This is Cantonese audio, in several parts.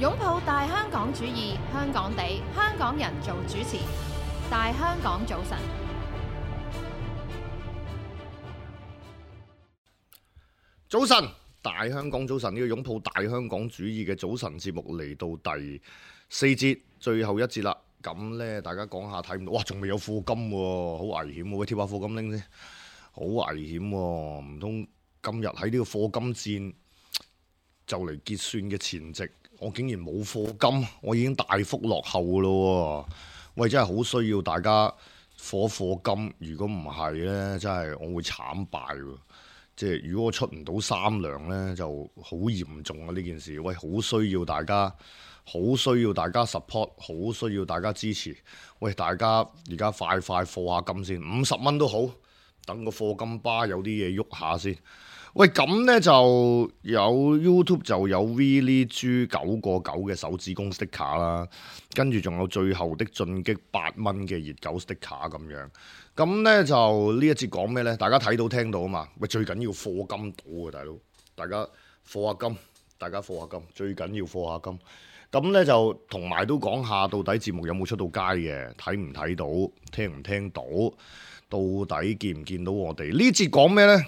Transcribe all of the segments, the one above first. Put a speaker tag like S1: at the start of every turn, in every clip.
S1: 擁抱大香港主義，香港地，香港人做主持。大香港早晨，
S2: 早晨，大香港早晨，呢個擁抱大香港主義嘅早晨節目嚟到第4節，最後一節啦。咁呢，大家講下睇唔到，哇，仲未有課金喎，好危險喎！喂，貼下課金拎先，好危險喎！唔通今日喺呢個課金戰就嚟結算嘅前夕，我竟然冇課金，我已經大幅落後咯喎！喂，真係好需要大家課金，如果唔係呢，真係我會慘敗喎。即係如果我出唔到3糧呢，就好嚴重啊！呢件事，喂，好需要大家。好需要大家 support， 好需要大家支持。喂，大家而家快課下金先，50蚊都好，等個課金巴有啲嘢喐下先。喂，咁呢就有 YouTube 就有 Willy 豬9個9嘅手指公 sticker 啦，跟住仲有最後的進擊8蚊嘅熱狗 sticker 咁樣。咁呢就呢一節講咩呢？大家睇到聽到啊嘛。喂，最緊要課金到啊，大佬，大家課下金，最緊要課下金。咁呢就同埋都講下，到底節目有冇出到街嘅，睇唔睇到，聽唔聽到，到底見唔見到我哋？呢節講咩呢？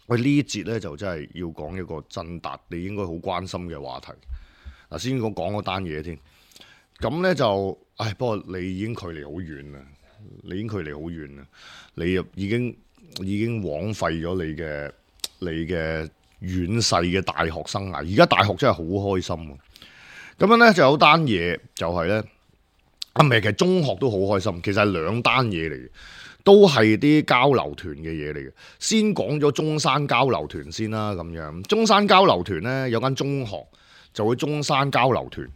S2: 喂，呢節呢就真係要講一個真達你應該好關心嘅話題。嗱，先講嗰單嘢先。咁呢就，不過你已經距離好遠啦，你已經枉費咗你嘅遠逝嘅大學生涯。而家大學真係好開心喎。咁樣咧就有單嘢就係咧，其實中學都好開心，其實係2單嘢嚟嘅，都係啲交流團嘅嘢嚟嘅。先講咗中山交流團先啦，咁樣中山交流團咧有間中學就會中山交流團，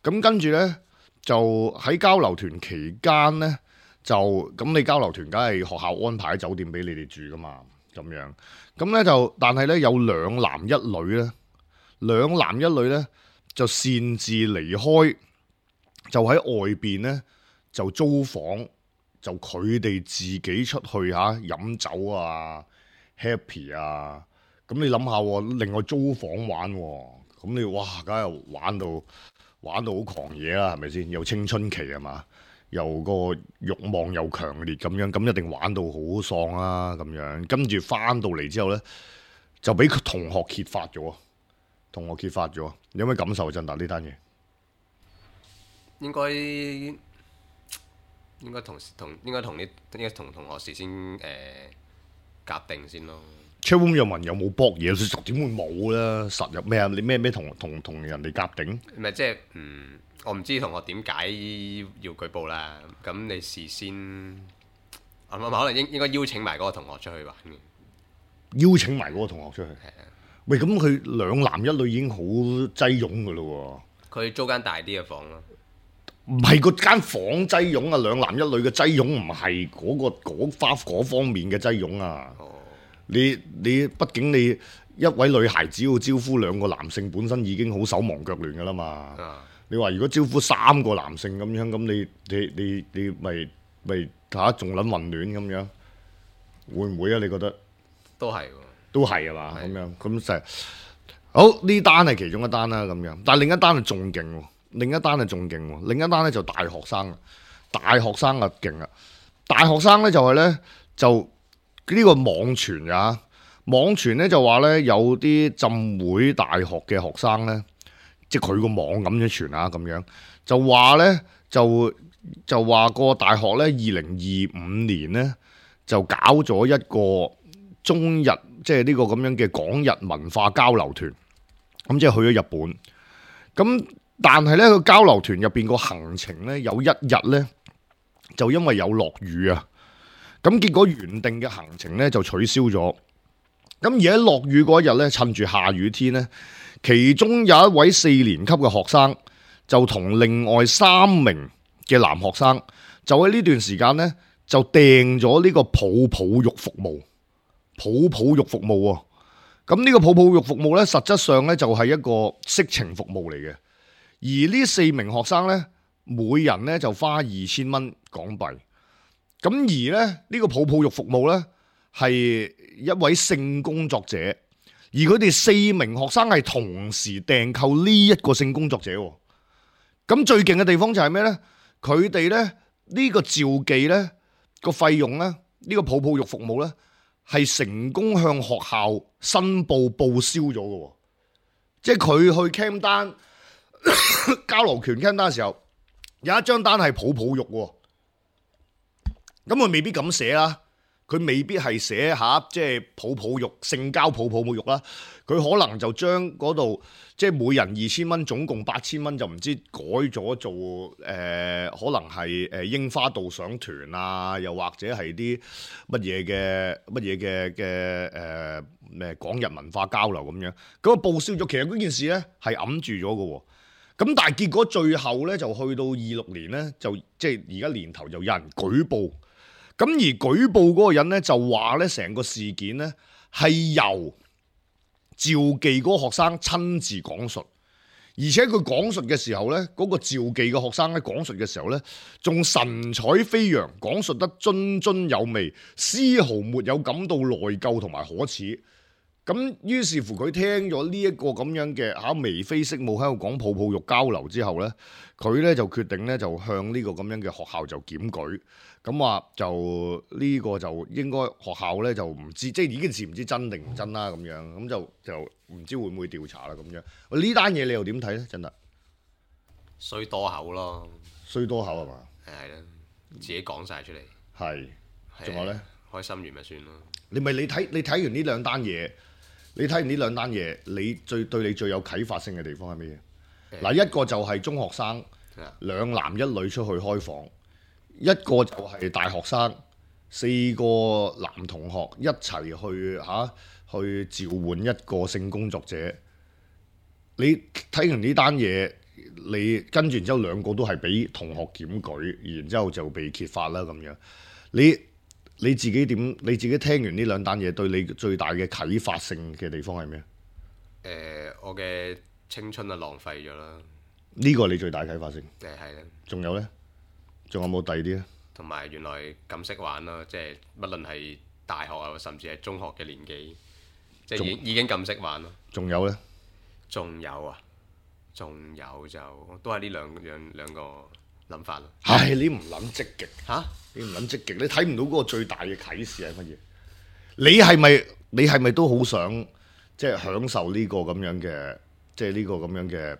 S2: 咁跟住咧就喺交流團期間咧就咁你交流團梗係學校安排喺酒店俾你哋住噶嘛，咁樣咁咧就但係咧有2男1女咧，2男1女咧。就擅自離開，就喺外邊呢，就租房，就佢哋自己出去飲酒啊 happy 啊，咁你諗下，另外租房玩，咁你哇，梗係玩到好狂野啦，係咪先？又青春期係嘛，又個慾望又強烈咁樣，咁一定玩到好喪啦咁樣，跟住翻到嚟之後呢，就俾同學揭發咗。有咩感受？振達呢單嘢
S3: 應該同同學事先夾定先咯。
S2: Chatroom 又問有冇搏嘢，實點會冇啦？實入咩啊？你咩同人哋夾定？
S3: 唔係即係我唔知同學點解要舉報啦。咁你事先可能應該邀請埋嗰個同學出去玩嘅。
S2: 邀請埋嗰個同學出去。係啊。喂，咁佢2男1女已經好擠擁噶咯喎。佢
S3: 租間大啲嘅房咯。
S2: 唔係嗰間房擠擁啊，2男1女嘅擠擁唔係嗰方面嘅擠擁啊。哦。你畢竟你一位女孩子要招呼2個男性，本身已經好手忙腳亂噶啦嘛。啊。你話如果招呼3個男性咁樣，咁你咪仲撚混亂咁樣，會唔會啊？你覺得？
S3: 都係喎。
S2: 都係嘛，咁樣咁就係好，呢單係其中一單啦，咁樣。但係另一單係仲勁喎，另一單咧就大學生啊，大學生啊勁啊！大學生咧就係咧就呢個網傳啊，網傳咧就話咧有啲浸會大學嘅學生咧，即係佢個網咁樣傳啊，咁樣就話咧就話個大學咧2025年咧就搞咗一個中日。即係呢個咁樣嘅港日文化交流團，咁即係去咗日本。咁但係呢個交流團入邊個行程呢，有1日呢，就因為有落雨啊，咁結果原定嘅行程呢，就取消咗。咁而喺落雨嗰日呢，趁住下雨天呢，其中有一位4年級嘅學生就同另外3名嘅男學生就喺呢段時間呢，就訂咗呢個泡泡浴服務。咁呢個泡泡浴服務呢，實質上呢就係一個色情服務嚟嘅。而呢4名學生呢，每人呢就花2000蚊港幣。咁而呢個泡泡浴服務呢，係一位性工作者而佢哋4名學生係同時訂購呢一個性工作者喎。咁最勁嘅地方就係咩呢？佢哋呢，呢個召妓呢個費用呢，呢個泡泡浴服務呢，係成功向學校申報報銷咗嘅。即係佢去 cam 單交流權 cam 單嘅時候，有一張單係泡泡浴喎。咁佢未必咁寫啦。佢未必係寫下即係泡泡浴、性交泡泡浴啦。佢可能就將嗰度即係每人2000蚊，總共8000蚊，就唔知改咗做可能係櫻花導賞團啊，又或者係啲乜嘢嘅咩港日文化交流咁樣。咁啊報銷咗，其實嗰件事咧係揞住咗嘅喎。咁但係結果最後咧就去到26年咧，就即係而家年頭就有人舉報。咁而舉報嗰個人咧就話咧，成個事件咧係由召妓嗰個學生親自講述，而且佢講述嘅時候咧，嗰個召妓嘅學生咧講述嘅時候咧，仲神采飛揚，講述得津津有味，絲毫沒有感到內疚同埋可恥。咁於是乎佢聽咗呢一個咁樣嘅眉飛色舞喺度講泡泡浴交流之後咧，佢咧就決定咧就向呢個咁樣嘅學校就檢舉。咁話就呢個就應該學校咧就唔知，即係呢件事唔知真定唔真啦咁樣，咁就唔知會唔會調查啦咁樣。呢單嘢你又點睇咧？真係
S3: 衰多口咯，
S2: 衰多口係嘛？
S3: 係啦，自己講晒出嚟。
S2: 係，仲有咧？
S3: 開心完咪算咯。
S2: 你睇完呢兩單嘢，你睇完呢兩單嘢，你對你最有啟發性嘅地方係咩嘢？嗱，一個就係中學生2男1女出去開房。一個就係大學生4個男同學一齊去召喚一個性工作者。你睇完呢單嘢，你跟住然之後2個都係俾同學檢舉，然之後就被揭發啦咁樣。你自己點？你自己聽完呢兩單嘢，對你最大嘅啟發性嘅地方係咩？
S3: 我嘅青春啊浪費咗啦。
S2: 呢個你最大啟發性。
S3: 係啦。仲
S2: 有呢？仲有冇第二啲咧？
S3: 同埋原來咁識玩咯，即係不論係大學啊，甚至係中學嘅年紀，即係已經咁識玩咯。
S2: 仲有呢？
S3: 仲有啊，仲有就都係呢兩個諗法咯。
S2: 唉，你唔諗積極
S3: 嚇？
S2: 你唔諗積極，你睇唔到嗰個最大嘅啟示係乜嘢？你係咪都好想即係享受呢個咁樣嘅，即係呢個咁樣嘅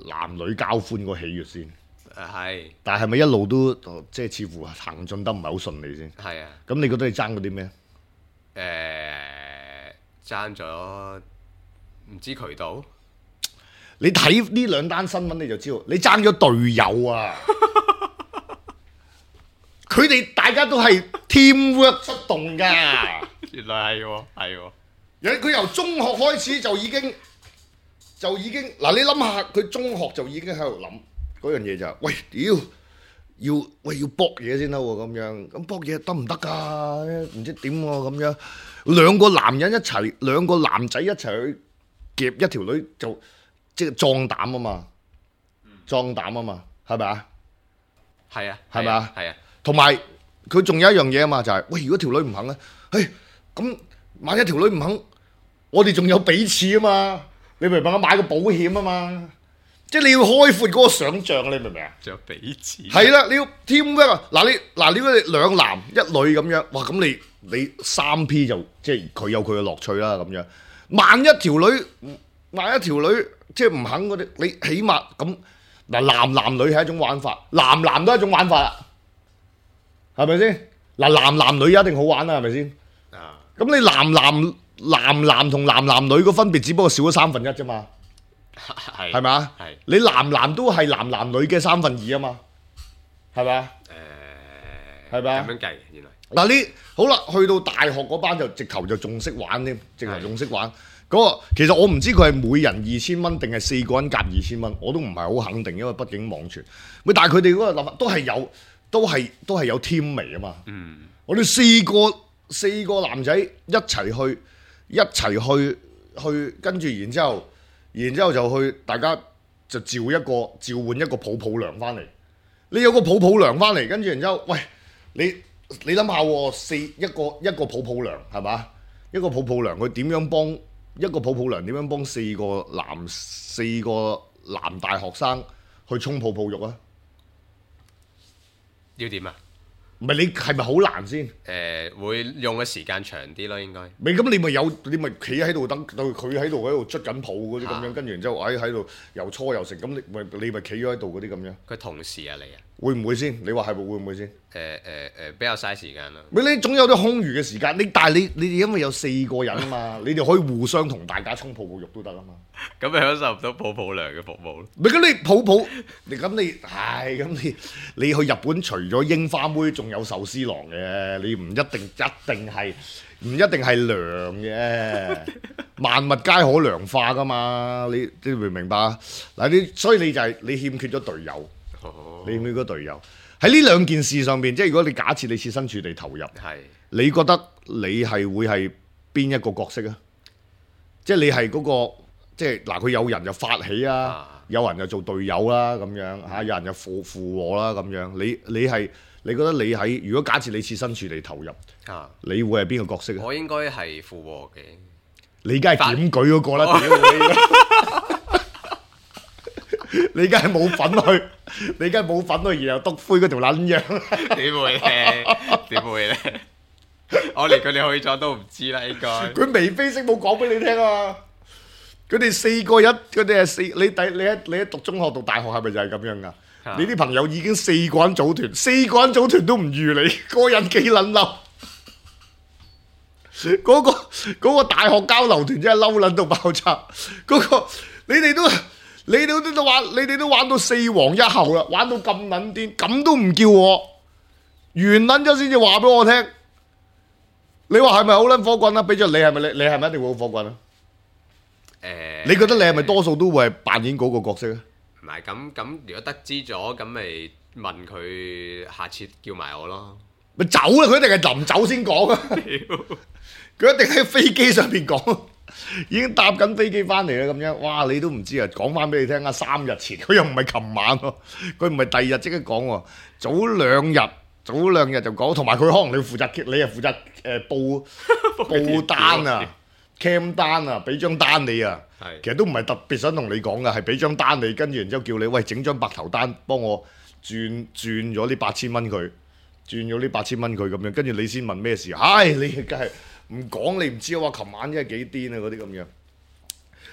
S2: 男女交歡個喜悅先？
S3: 係，
S2: 但係咪一路都即係似乎行進得唔係好順利先？
S3: 係啊。
S2: 咁你覺得你爭嗰啲咩？
S3: 爭咗唔知渠道。
S2: 你睇呢兩單新聞你就知道，你爭咗隊友啊！佢哋大家都係 teamwork 出動㗎。
S3: 原來係喎，係喎。
S2: 佢由中學開始就已經嗱，你諗下佢中學就已經喺度諗。嗰樣嘢就係，喂，要搏嘢先得喎，咁樣，咁搏嘢得唔得㗎？唔知點喎，咁樣2個男人一齊，2個男仔一齊去夾一條女，就即係壯膽啊嘛，壯膽啊嘛，係咪啊？
S3: 係啊，
S2: 係咪啊？
S3: 係啊。同
S2: 埋佢仲有一樣嘢啊嘛，就係，喂，如果條女唔肯咧，咁萬一條女唔肯，我哋仲有彼此啊嘛，你明唔明啊？買個保險啊嘛。即係你要開闊嗰個想像，你明唔明啊？仲有彼此。係啦，你要 teamwork 啊！嗱你如果你2男1女咁樣，哇！咁你3P 就即係佢有佢嘅樂趣啦咁樣。萬一條女即係唔肯嗰啲，你起碼咁嗱男女係一種玩法，男都係一種玩法啦，係咪先？嗱男女一定好玩啦，係咪先？啊！咁你男同男女個分別只不過少咗1/3啫嘛。係咪啊？你男都係男女嘅2/3啊嘛，係咪啊？係咪啊？咁樣計原來嗱，你好啦，去到大學嗰班就直頭就仲識玩添，直頭仲識玩嗰個。其實我唔知佢係每人2000蚊定係4個人夾2000蚊，我都唔係好肯定，因為畢竟網傳。喂，但係佢哋嗰個諗法都係有 team 味啊嘛。我哋4個男仔一齊去，跟住然之後就去，大家就召喚一個泡泡娘翻嚟。你有個泡泡娘翻嚟，跟住然之後，喂，你諗下喎，一個泡泡娘係嘛？一個泡泡娘佢點樣幫一個泡泡娘點樣幫四個男大學生去沖泡泡浴啊？
S3: 要點啊？
S2: 唔係你係咪好難先？
S3: 會用嘅時間長啲咯，應該。
S2: 咪咁你咪企喺度等到佢喺度捽緊泡嗰啲咁樣，跟住然之後喺度又搓又食，咁你咪企咗喺度嗰啲咁樣。
S3: 佢同時啊嚟啊？
S2: 會唔會先？你話係咪會唔會先？
S3: 比較嘥時間咯。
S2: 咪你總有啲空餘嘅時間，但係你哋因為有4個人啊嘛，你哋可以互相同大家沖泡泡浴都得啊嘛。
S3: 咁咪享受唔到泡泡娘嘅服務咯。
S2: 咪咁你泡泡，你去日本除咗櫻花妹，仲有壽司郎嘅，你唔一定係涼嘅，萬物皆可涼化噶嘛。你明唔明白啊？嗱，所以你欠缺咗隊友，你欠缺咗隊友喺呢兩件事上邊，即係如果你假設你設身處地投入，你覺得你係會係邊一個角色啊？即係你係嗰個。即係嗱，佢有人就發起啊，有人就做隊友啦，咁樣嚇，有人就附和啦，咁樣。你覺得你喺如果假設你設身處地投入，你會係邊個角色啊？
S3: 我應該係附和嘅。
S2: 你梗係檢舉嗰個啦，你梗係冇份去，然後篤灰嗰條撚樣。
S3: 點會咧？點會咧？我連佢哋去咗都唔知啦，應該。
S2: 佢眉飛色舞講俾你聽啊！佢哋4個人，佢哋係你喺讀中學讀大學係咪就係咁樣噶？你啲朋友已經4個人組團，4個人組團都唔預你，個人幾撚嬲？嗰個大學交流團真係嬲撚到爆炸。你哋都玩到4王1后啦，玩到咁撚癲，咁都唔叫我完撚咗先至話俾我聽。你話係咪好撚火滾啊？俾咗你係咪你係咪一定會好火滾啊？你覺得你係咪多數都會係扮演嗰個角色啊？
S3: 唔係咁，如果得知咗，咁咪問佢下次叫埋我咯。
S2: 咪走啦！佢一定係臨走先講啊！佢一定喺飛機上邊講，已經搭緊飛機翻嚟啦咁樣。哇！你都唔知啊，講翻俾你聽啊！3日前佢又唔係琴晚喎，佢唔係第二日即刻講喎，早兩日就講，同埋佢可能你係負責報單啊。cam 單啊，俾張單你啊，其實都唔係特別想同你講噶，係俾張單你，跟住然之後叫你喂整張白頭單，幫我轉咗呢8000蚊佢，咁樣，跟住你先問咩事？唉，你梗係唔講，你唔知啊！話琴晚真係幾癲啊，嗰啲咁樣。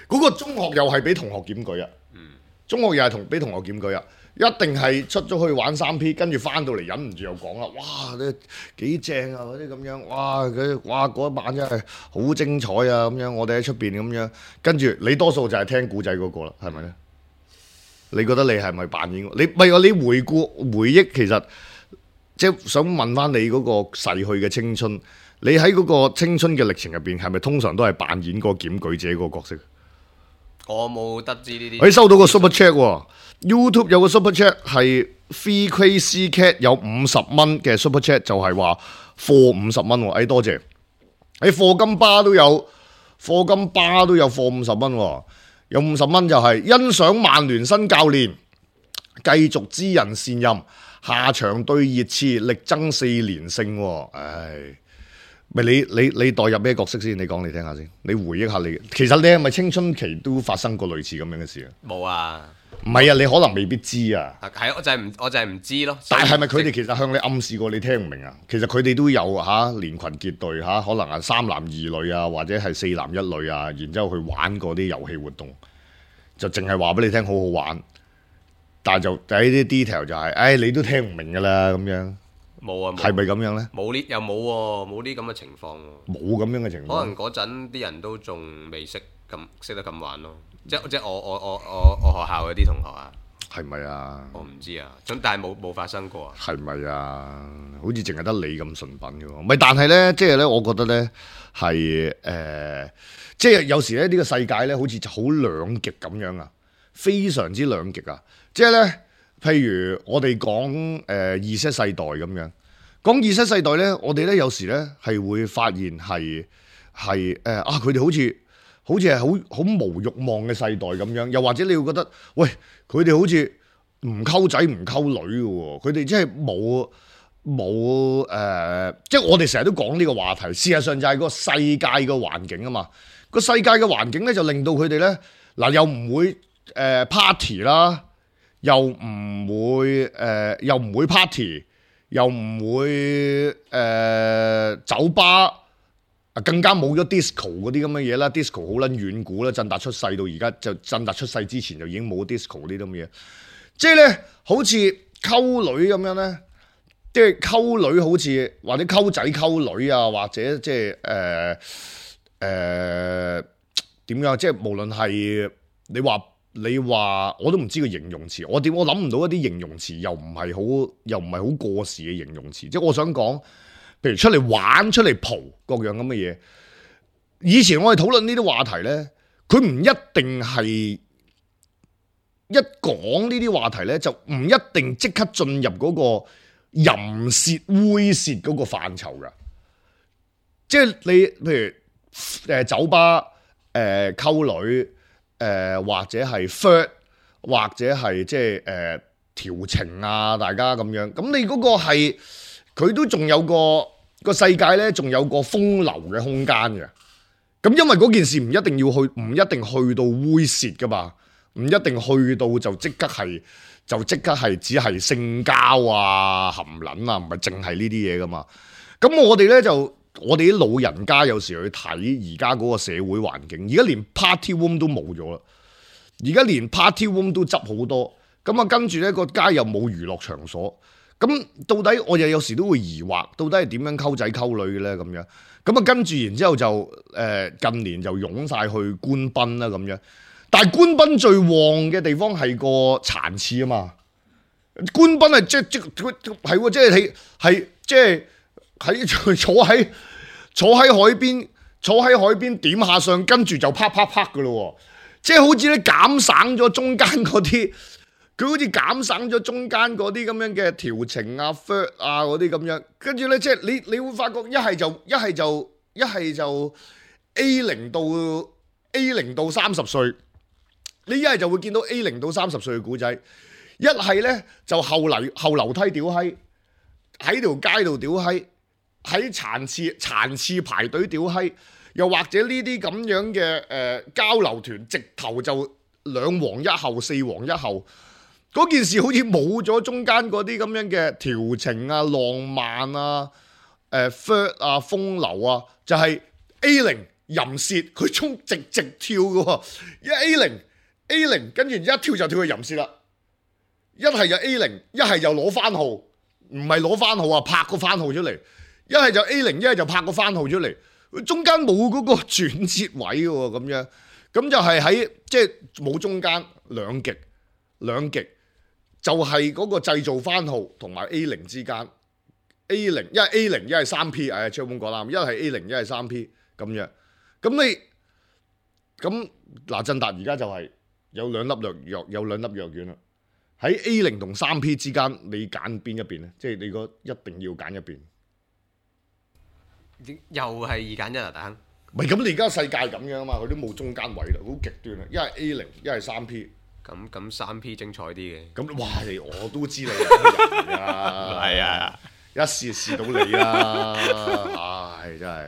S2: 嗰個中學又係俾同學檢舉啊，中學又係俾同學檢舉啊。一定係出咗去玩3P，跟住翻到嚟忍唔住又講啦，哇！你幾正啊嗰啲咁樣，哇嗰一晚真係好精彩啊咁樣，我哋喺出邊咁樣，跟住你多數就係聽古仔嗰個啦，係咪咧？你覺得你係咪扮演？你回憶，其實即係想問翻你嗰個逝去嘅青春，你喺嗰個青春嘅歷程入邊，係咪通常都係扮演個檢舉者嗰個角色？
S3: 我冇得知呢啲。
S2: 你收到個 super chat 喎。YouTube 有個 super chat 係 Free Crazy Cat 有50蚊嘅 super chat， 就係話貨50蚊喎，多謝。課金巴都有貨50蚊喎，有50蚊就係欣賞曼聯新教練繼續知人善任，下場對熱刺力爭4連勝喎，唉。咪你代入咩角色先？你講嚟聽下先。你回憶下其實你係咪青春期都發生過類似咁樣嘅事啊？冇
S3: 啊，
S2: 唔係啊，你可能未必知啊。
S3: 係，我就係唔知咯。
S2: 但係咪佢哋其實向你暗示過你聽唔明啊？其實佢哋都有連群結隊可能係3男2女啊，或者係4男1女啊，然之後去玩嗰啲遊戲活動，就淨係話俾你聽好好玩，但係就喺啲 detail 就係，你都聽唔明㗎啦咁樣。
S3: 冇啊，
S2: 係咪咁樣咧？
S3: 冇呢，又冇喎，冇呢咁嘅情況喎。
S2: 冇咁樣嘅情況。
S3: 可能嗰陣啲人都仲未識得咁玩咯。即係我學校嗰啲同學啊。
S2: 係咪啊？
S3: 我唔知啊，但係冇發生過啊。
S2: 係咪啊？好似淨係得你咁純品嘅喎。唔係，但係咧，即係咧，我覺得咧係即係有時咧呢個世界咧好似好兩極咁樣啊，非常之兩極啊。即係咧。譬如我哋講Z世代咁樣，講Z世代咧，我哋咧有時咧係會發現係佢哋好似係好無慾望嘅世代咁樣，又或者你會覺得，喂，佢哋好似唔溝仔唔溝女嘅喎，佢哋真係冇即係我哋成日都講呢個話題，事實上就係個世界個環境啊嘛。個世界嘅環境咧就令到佢哋咧嗱又唔會party 啦，又唔會 party， 又唔會酒吧。更加冇咗 disco 嗰啲咁嘅嘢啦 ，disco 好撚遠古啦，振達出世到而家就振達出世之前就已經冇 disco 呢啲咁嘅嘢，即係咧好似溝女咁樣咧，即係溝女好似或者溝仔溝女啊，或者即係點樣？即係無論係你話我都唔知個形容詞，我諗唔到一啲形容詞又唔係好過時嘅形容詞，即係我想講。譬如出嚟玩、出嚟蒲各樣咁嘅嘢，以前我哋討論呢啲話題咧，佢唔一定係一講呢啲話題咧，就唔一定即刻進入嗰個淫褻、猥褻嗰個範疇噶。即係你譬如酒吧溝女或者係 flirt 或者係即係調情啊，大家咁樣。咁你嗰個係佢都仲有個世界咧，仲有個風流嘅空間嘅。咁因為嗰件事唔一定去到猥褻噶嘛，唔一定去到就即刻係只係性交啊、含撚啊，唔係淨係呢啲嘢噶嘛。咁我哋啲老人家有時去睇而家嗰個社會環境，而家連 party room 都冇咗啦，而家連 party room 都執好多。咁啊，跟住咧個街又冇娛樂場所。咁到底我又有時都會疑惑，到底係點樣溝仔溝女嘅咧？咁樣咁啊，跟住然之後就近年就湧晒去官賓啦咁樣。但係官賓最旺嘅地方係個殘廁啊嘛。官賓係即係坐喺海邊點下相，跟住就啪啪啪嘅咯。即係好似咧減省咗中間嗰啲。佢好似減省咗中間嗰啲咁樣嘅調情啊、flirt 啊嗰啲咁樣，跟住咧即係你會發覺一係就 A0 到30歲，你一係就會見到 A0 到30歲嘅古仔，一係咧就後樓梯屌閪，喺條街度屌閪，喺殘廁排隊屌閪，又或者呢啲咁樣嘅交流團，直頭就2黃1後4黃1後。嗰件事好似冇咗中間嗰啲咁樣嘅調情啊、浪漫啊、flirt 啊、風流啊，就係 A0 淫褻，佢直跳嘅喎，A0 跟住一跳就跳去淫褻啦，一係就 A0，一係就攞番號，唔係攞番號啊，拍個番號出嚟，一係就 A0，一係就拍個番號出嚟，中間冇嗰個轉折位嘅喎，咁樣，咁就係喺即係冇中間兩極。就係嗰個製造番號同埋 A0 之間 ，A0 一係 A0 一係3P， 超本講啦，一係 A0 一係3P 咁樣，咁嗱振達而家就係有兩粒藥丸啦，喺 A0 同3P 之間，你揀邊一邊咧？即係你個一定要揀一邊，
S3: 又係2揀1啊，大亨。
S2: 唔係咁，你而家世界咁樣啊嘛，佢都冇中間位啦，好極端啊！一係 A0，一係3P。
S3: 咁3P 精彩啲嘅，
S2: 咁哇！我都知你係人啊，
S3: 係啊，
S2: 一試到你啦，唉，真係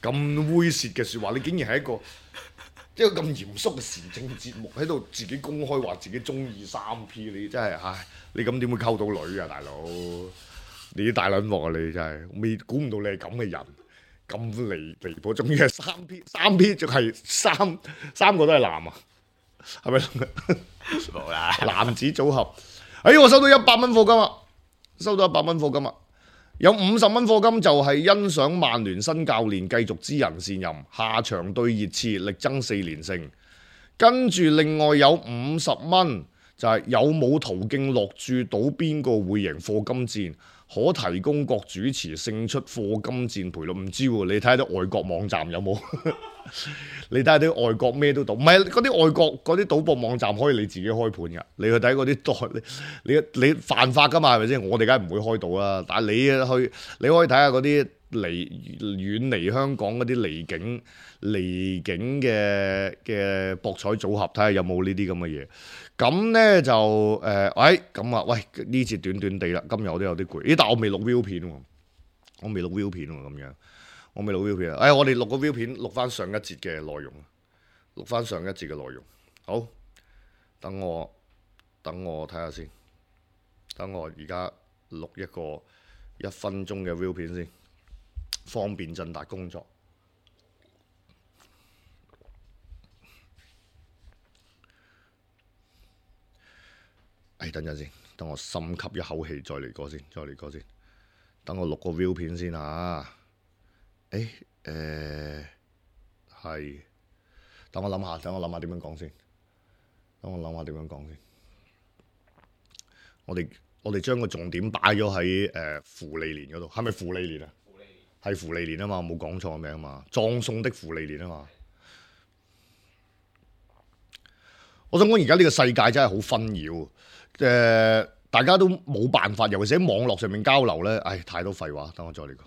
S2: 咁猥褻嘅説話，你竟然係一個咁嚴肅嘅時政節目喺度自己公開話自己中意3P，你真係唉，你咁點會溝到女啊，大佬？你啲大撚鑊啊！你真係估唔到你係咁嘅人，咁離譜，仲要係3P，仲係三個都係男啊！係咪
S3: 冇啦？
S2: 男子組合，我收到100蚊課金啊！有50蚊課金就係欣賞曼聯新教練繼續知人善任，下場對熱刺力爭4連勝。跟住另外有50蚊就係有冇途徑落注賭邊個會贏課金戰，可提供各主持勝出課金戰賠率。唔知喎，你睇下啲外國網站有冇？你睇下啲外國咩都賭，唔係嗰啲外國嗰啲賭博網站可以你自己開盤㗎。你去睇嗰啲你犯法㗎嘛，係咪先？我哋梗係唔會開賭啦。但係你可以睇下嗰啲遠離香港嗰啲離境嘅博彩組合，睇下有冇呢啲咁嘅嘢。咁咧就咁啊，喂呢次短地啦，今日我都有啲攰。但我未錄 view 片喎，咁樣我未錄 view 片啊！我哋錄個 view 片，錄翻上一節嘅內容，錄翻上一節嘅內容。好，等我睇下先，等我而家錄一個1分鐘嘅 view 片先，方便振達工作。等陣先，等我深吸一口氣，再嚟過先。等我錄個 view 片先啊！係，等我諗下點樣講先。我哋將個重點擺咗喺芙莉蓮嗰度，係咪芙莉蓮啊？係芙莉蓮啊嘛，冇講錯名啊嘛，葬送的芙莉蓮啊嘛。我想講而家呢個世界真係好紛擾，大家都冇辦法，尤其是喺網絡上面交流咧，太多廢話。等我再嚟講。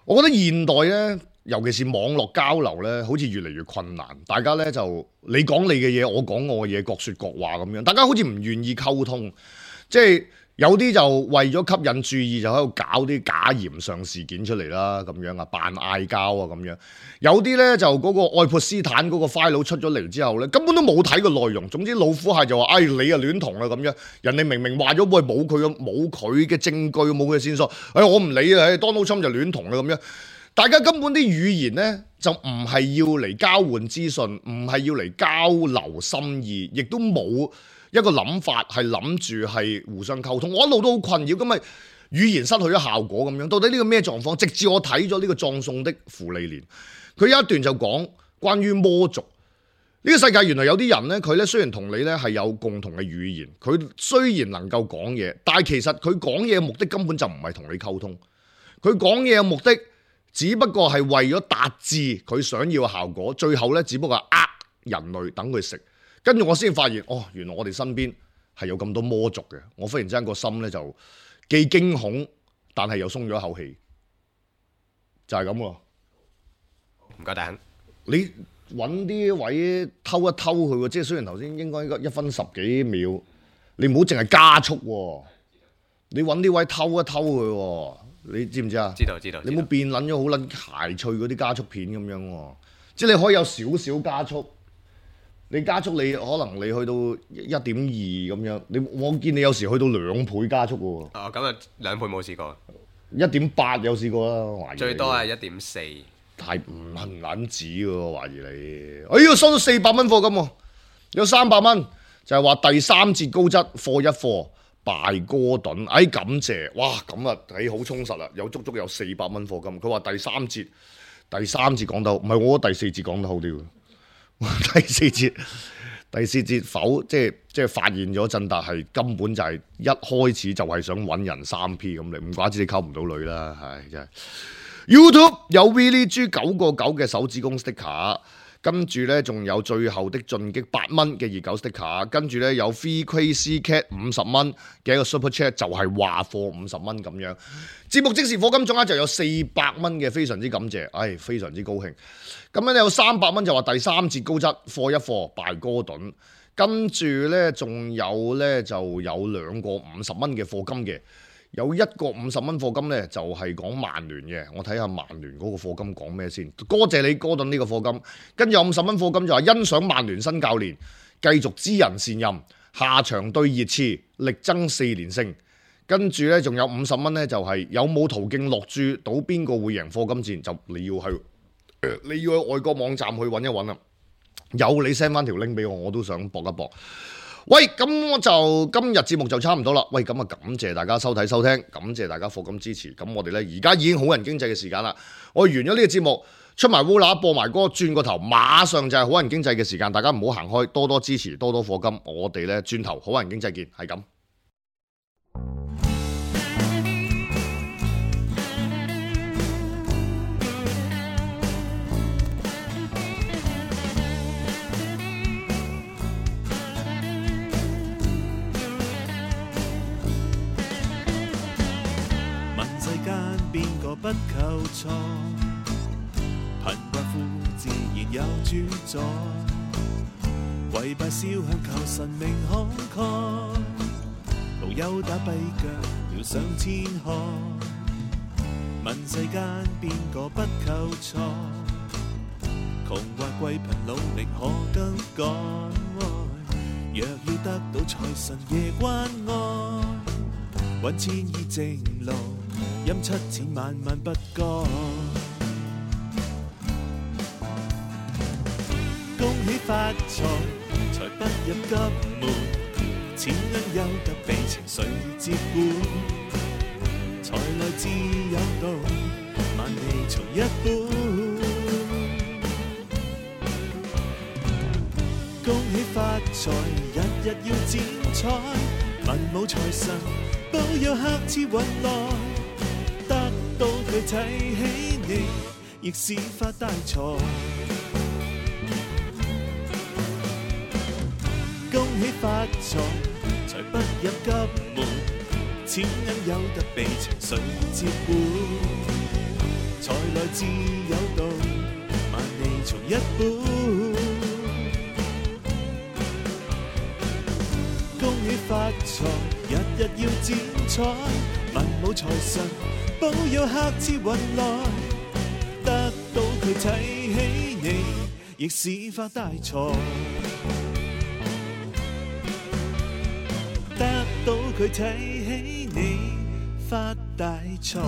S2: 我覺得現代咧，尤其是網絡交流咧，好似越嚟越困難。大家咧就你講你嘅嘢，我講我嘅嘢，各說各話咁樣。大家好似唔願意溝通，即係有啲就為咗吸引注意，就喺度搞啲假鹽上事件出嚟啦，咁樣啊，扮嗌交啊咁樣。有啲咧就嗰個愛潑斯坦嗰個 file 出咗嚟之後咧，根本都冇睇過內容。總之老虎蟹就話：你啊戀童啦咁樣。人哋明明話咗喂，冇佢嘅證據，冇佢嘅線索。我唔理啊，Donald Trump就戀童啦咁樣。大家根本啲語言咧就唔係要嚟交換資訊，唔係要嚟交流心意，亦都冇一個諗法係諗住係互相溝通。我一路都好困擾，咁咪語言失去咗效果咁樣。到底呢個咩狀況？直至我睇咗呢個葬送的芙莉蓮，佢有一段就講關於魔族。呢個世界原來有啲人咧，佢咧雖然同你咧係有共同嘅語言，佢雖然能夠講嘢，但係其實佢講嘢嘅目的根本就唔係同你溝通。佢講嘢嘅目的只不過係為咗達至佢想要嘅效果，最後咧只不過係人類等佢食。跟住我先發現，原來我哋身邊係有咁多魔族嘅。我忽然之間個心咧就既驚恐，但係又鬆咗一口氣，就係咁喎。
S3: 唔該，大亨，
S2: 你揾啲位偷一偷佢喎，即係雖然頭先應該1分10幾秒，你唔好淨係加速喎，你揾啲位偷一偷佢喎，你知唔知啊？
S3: 知道。
S2: 你唔好變撚咗好撚諧趣嗰啲加速片咁樣喎，即係你可以有少少加速。你加速你可能你去到1.2咁樣，我見你有時去到2倍加速喎。
S3: 咁啊2倍冇試過
S2: ，1.8有試過啦，懷疑。最多
S3: 係1.4。
S2: 太唔撚止喎，懷疑你。收到400蚊課金喎，有300蚊，就係話第3節高質課一課拜哥頓，感謝，哇咁啊，好充實啦，有足有400蚊課金。佢話第3節講得好，唔係我第4節講得好啲。第四節否即係發現咗振達係根本就係一開始就係想揾人3P 咁，你唔怪之你溝唔到女啦，係真係。YouTube 有 Willie G 9.9嘅手指公 sticker， 跟住呢仲有最後的進擊8蚊嘅熱狗 sticker， 跟住呢有 Free Crazy Cat 50蚊嘅一個 Super Chat， 就係話貨50蚊咁樣。節目即時課金總額就有400蚊嘅，非常之感謝，非常之高興。咁樣有300蚊就話第3節高質課一課拜哥頓，跟住呢仲有呢就有2個50蚊嘅課金嘅。有一個50蚊課金呢，就係講曼聯嘅，我睇下曼聯嗰個課金講咩先。多謝你哥頓呢個課金，跟住有50蚊課金就話欣賞曼聯新教練繼續知人善任，下場對熱刺力爭4連勝。跟住呢，仲有50蚊呢，就係有冇途徑落注到邊個會贏課金戰，就你要去外國網站去揾一揾啦。有你 send 翻條 link 俾我，我都想搏一搏。喂，咁我就今日節目就差唔多啦。喂，咁啊感謝大家收睇收聽，感謝大家課金支持。咁我哋呢，而家已經好人經濟嘅時間啦。我完咗呢個節目，出埋烏乸播埋歌，轉個頭馬上就係好人經濟嘅時間。大家唔好行開，多多支持，多多課金。我哋呢，轉頭好人經濟見，係咁。
S4: 不求錯，貧寡婦自然有主宰，跪拜燒香求神明慷慨，無憂打跛腳跳上天海，問世間邊個不求財？窮或貴貧努力可更改？若要得到財神爺關愛，揾千億正路，陰七錢萬萬不該。恭喜發財，財不入急門，錢銀有得被情緒接管。財來自有道，萬利從一本。恭喜發財，日日要剪彩，文武財神保佑客似雲來，得到佢睇起你，亦是發大財。恭喜發財，財不入急門，錢銀有得被情緒接管。財來自有道，萬利從一本。恭喜發財，日日要剪彩，文武財神保佑客似雲來，得到佢睇起你，亦是發大財。得到佢睇起你，發大財。